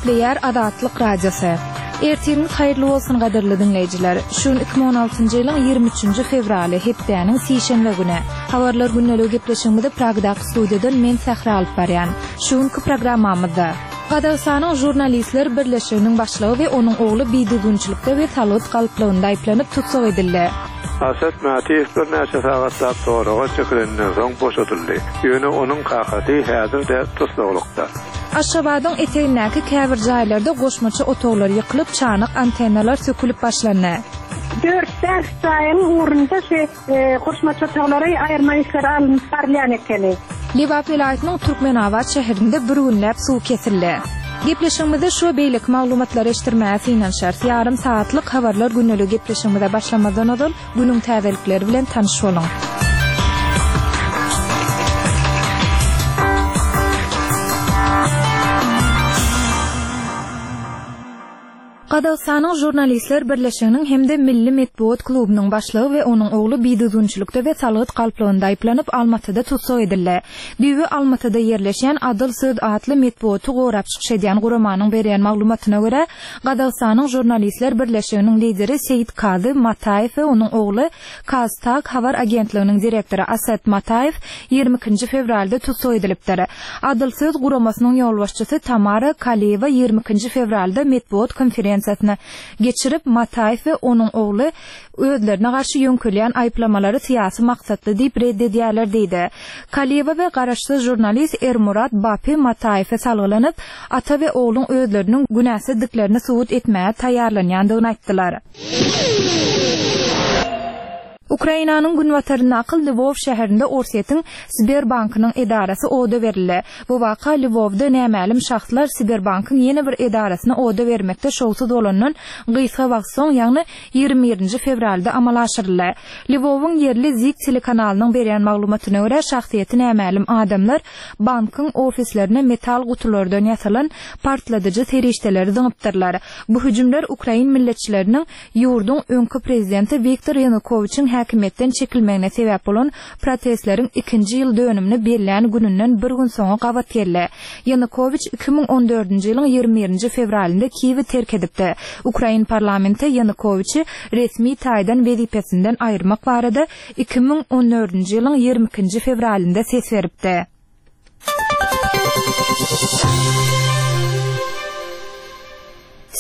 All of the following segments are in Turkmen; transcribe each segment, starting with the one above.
Gepleýär Azatlyk Radiosy. Ertiriňiz haýyrly bolsun gadyrly diňleýjiler. Şu gün 2016-njy ýylyň 23-nji fewraly, hepdäniň sişenbe güni. Habarlar gündeligi gepleşigimizi Pragdaky studiýadan men Sähra alyp barýan. Şu günki programmamyzda. Gazagystanyň Žurnalistler birleşiginiň başlygy we onuň ogly bidüzgünçilikde we salgyt galplygynda aýyplanyp tussag edildi. Asad Mätiýew birnäçe sagatlap soraga çekileninden soň boşadyldy, ýöne onuň kakasy häzir-de tussaglykda. Aşgabadyň etegindäki käbir jaýlarda goşmaça otaglar ýykylyp, çanak antennalar sökülip başlandy. Dört-bäş jaýyň ugrunda şu goşmaça otaglary aýyrma işleri alnyp barylýan ekeni. Lebap welaýatynyň Türkmenabat şäherinde bir günläp suw kesildi. Gepleşigimizde şu we beýleki maglumatlary eşitdirmäge synanyşarys. Ýarym sagatlyk Habarlar gündeligi gepleşigimize başlamazdan ozal, günüň täzelikleri bilen tanyş boluň. Gazagystanyň Žurnalistler birleşiginiň hem-de Milli metbugat klubunyň başlygy we onuň ogly bidüzgünçilikde we salgyt galplygynda aýyplanyp, Almatyda tussag edildi. Düýbi Almatyda ýerleşýän Adyl söz atly metbugaty gorap çykyş edýän guramanyň berýän maglumatyna görä, Gazagystanyň Žurnalistler birleşiginiň lideri Seýitkazy Mataýew we onuň ogly KazTAG habar agentliginiň direktory Aset Mataýew 22-nji fewralda tussag edilipdir. Adyl söz guramasynyň ýolbaşçysy Tamara Kaliýewa 22-nji fewralda metbugat konferensiýasyny geçirip, Mataýew we onuň ogly özlerine garşy ýöňkelýän aýyplamalary syýasy maksatly diýip red edýärler diýdi. Kaliýewa we garaşsyz žurnalist Ermurat Bapi Mataýewe salgylanyp, ata we ogluň özleriniň günäsizdiklerini subut etmäge taýýarlanýandygyny aýtdylar. Ukrainanyň günbataryndaky Lwow şäherinde Orsýetiň Sberbankynyň edarasy oda berildi. Bu waka Lwowda nämälim şahslar Sberbankyň ýene bir edarasyny oda bermekde şowsuz bolandan gysga wagt soň, ýagny 21 nji fewralda amala aşyryldy. Lwowyň ýerli Zik telekanalynyň berýän maglumatyna görä, şahsyýeti nämälim adamlar bankyň ofislerine metal gutulardan ýasalan partladyjy serişdeleri zyňypdyrlar. Bu hüjümler ukrain milletçileriniň ýurduň öňki prezidenti Wiktor Ýanukowiçiň häkimiýetden çekilmegine sebäp bolan protestleriň ikinji ýyl dönümini bellän gününden bir gün soňa gabat geldi. Ýanukowiç 2014-nji ýylyň 21-nji fewralynda Kiýewi terk edipdi. Ukrain parlamenti Ýanukowiçi resmi taýdan wezipesinden aýyrmak barada 2014-nji ýylyň 22-nji fewralynda ses beripdi.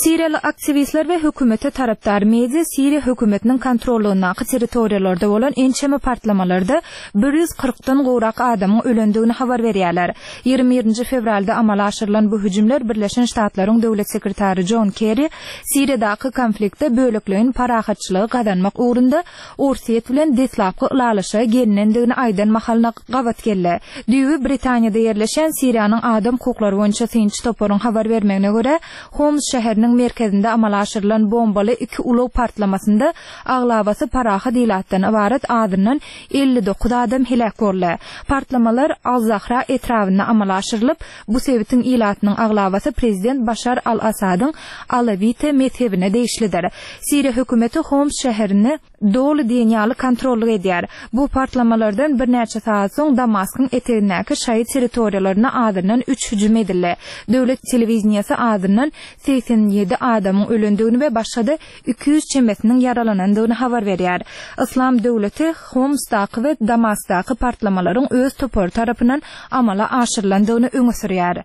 Siriýaly aktiwistler we hökümete tarapdar media Siriýa hökümetiniň kontrollygyndaky territoriýalarda bolan ençeme partlamalarda 140-dan gowrak adamyň ölendigini habar berýärler. 21-nji fewralda amala aşyrylan bu hüjümler Birleşen Ştatlaryň Döwlet sekretary Jon Kerri Siriýadaky konfliktde bölekleýin parahatçylygy gazanmak ugrunda Orsýet bilen deslapky ylalaşyga gelinendigini aýdan mahalyna gabat geldi. Düýbi Britaniýada ýerleşýän Siriýanyň adam hukuklary boýunça synçy toparyň habar bermegine görä, Homs şäheriniň merkezinde amala aşyrylan bombaly iki ulag partlamasynda aglabasy parahat ilatdan ybarat azyndan 59 adam heläk boldy. Partlamalar Al-Zahra etrabynda amala aşyrylyp, bu sebitiň ilatynyň aglabasy prezident Başar al-Assadyň alawite mezhebine degişlidir. Siriýa hökümeti Homs şäherini doly diýen ýaly kontrollyk edýär. Bu partlamalardan birnäçe sagat soň Damaskyň etegindäki şaýy territoriýalaryna azyndan üç hüjüm edildi. Döwlet telewideniýesi azyndan 87 adamyň ölendigini we başga-da 200 çemesiniň ýaralanandygyny habar berýär. Yslam döwleti Homsdaky we Damaskdaky partlamalaryň öz topary tarapyndan amala aşyrylandygyny öňe sürýär.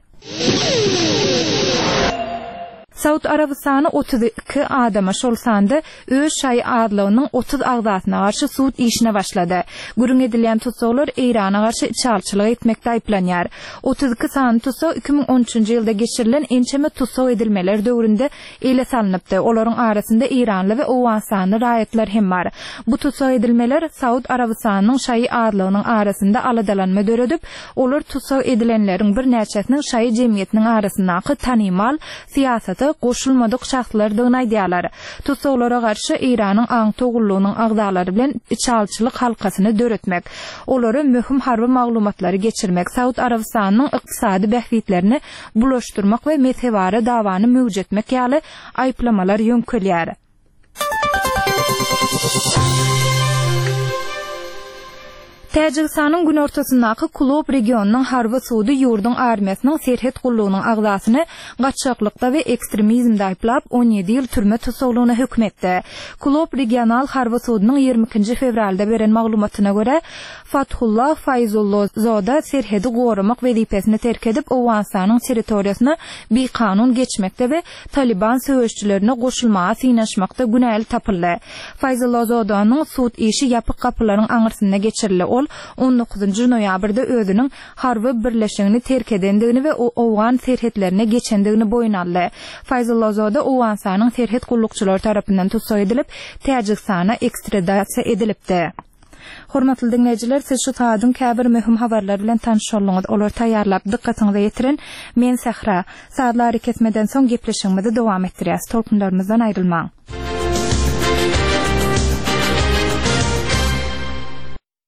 Saud Arabystany 32 adama, şol sanda öz şaýy azlygynyň 30 agzasyna garşy sud işine başlady. Gürrüň edilýän tussaglar Eýrana garşy içalyçylyk etmekde aýyplanýar. 32 sany tussag 2013-nji ýylda geçirilen ençeme tussag edilmeler döwründe ele salnypdy. Olaryň arasynda eýranly we owganystanly raýatlar hem bar. Bu tussag edilmeler Saud Arabystanynyň şaýy azlygynyň arasynda aladalanma döredip, olar tussag edilenleriň birnäçesiniň şaýy jemgyýetiniň arasyndaky tanymal, syýasata goşulmadyk şahslardygyny aýdýarlar. Tussaglara garşy Eýranyň aňtaw gullugynyň agzalary bilen içalyçylyk halkasyny döretmek, olara möhüm harby maglumatlary geçirmek, Saud Arabystanynyň ykdysady bähbitlerini bulaşdyrmak we mezhebara dawany möwjetmek ýaly aýyplamalar ýöňkelýär. Täjigistanyň günortasyndaky Kulob regionynyň harby sudy ýurduň armiýasynyň serhet gullugynyň agzasyny gaçaklykda we ekstremizmde aýyplap, 17 ýyl türme tussaglygyna höküm etdi. Kulob regional harby sudunyň 22-nji fewralda beren maglumatyna görä, Fathullah Faýzullozoda serhedi goramak wezipesini terk edip, Owganystanyň territoriýasyna bikanun geçmekde we Talyban söweşijilerine goşulmaga synanyşmakda günäli tapyldy. Faýzullazodanyň sud işi ýapyk gapylaryň aňyrsynda geçirildi. Ol on dokuzynjy noýabrda özüniň harby birleşigini terk edendigini we owgan serhetlerine geçendigini boýun aldy. Faýzullazoda Owganystanyň serhet gullukçylary tarapyndan tussag edilip, Täjigistana ekstradasiýa edilipdi. Hormatly diňleýjiler, siz şu sagadyň käbir möhüm habarlary bilen tanyş bolduňyz. Olary taýýarlap, dykgatyňyza ýetiren men Sähra. Sazly arakesmeden soň gepleşigimizi dowam etdirýäs. Tolkunlarymyzdan aýrylmaň.